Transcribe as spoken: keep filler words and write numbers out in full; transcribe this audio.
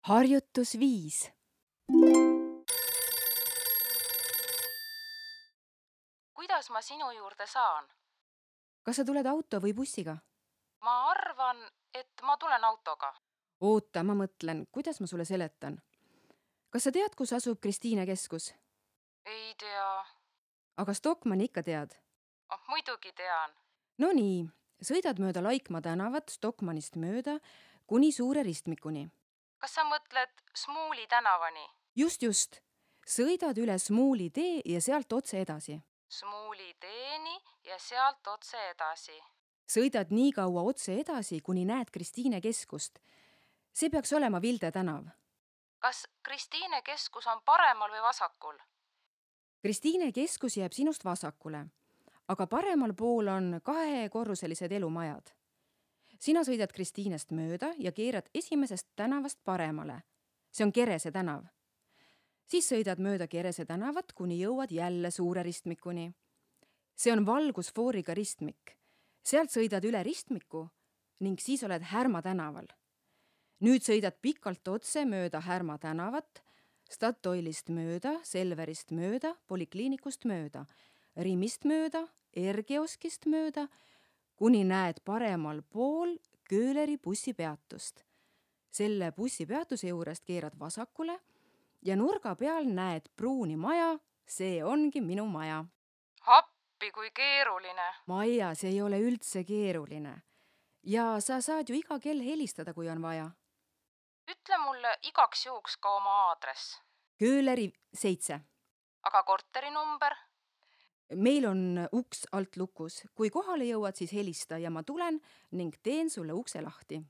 Harjutus viis. Kuidas ma sinu juurde saan? Kas sa tuled auto või bussiga? Ma arvan, et ma tulen autoga. Oota, ma mõtlen, kuidas ma sulle seletan. Kas sa tead, kus asub Kristiine keskus? Ei tea. Aga Stockmanni ikka tead? Oh, muidugi tean. No nii, sõidad mööda Laikmaa tänavat Stockmannist mööda kuni Suure ristmikuni. Kas sa mõtled Smuuli tänavani? Just, just. Sõidad üle Smuuli tee ja sealt otse edasi. Smuuli teeni ja sealt otse edasi. Sõidad nii kaua otse edasi, kuni näed Kristiine keskust. See peaks olema Vilde tänav. Kas Kristiine keskus on paremal või vasakul? Kristiine keskus jääb sinust vasakule, aga paremal pool on kahekorruselised elumajad. Sina sõidad Kristiinest mööda ja keerad esimesest tänavast paremale. See on Kerese tänav. Siis sõidad mööda Kerese tänavat, kuni jõuad jälle Suure ristmikuni. See on valgusfooriga ristmik. Sealt sõidad üle ristmiku ning siis oled Härma tänaval. Nüüd sõidad pikalt otse mööda Härma tänavat, Statoilist mööda, Selverist mööda, Polikliinikust mööda, Rimist mööda, Ergioskist mööda, kuni näed paremal pool Kööleri bussipeatust. Selle bussipeatuse juurest keerad vasakule ja nurga peal näed pruuni maja, see ongi minu maja. Appi, kui keeruline. Maja, see ei ole üldse keeruline. Ja sa saad ju iga kell helistada, kui on vaja. Ütle mulle igaks juhuks ka oma aadress. Kööleri seitse. Aga korteri number? Meil on uks alt lukus. Kui kohale jõuad, siis helista ja ma tulen ning teen sulle ukse lahti.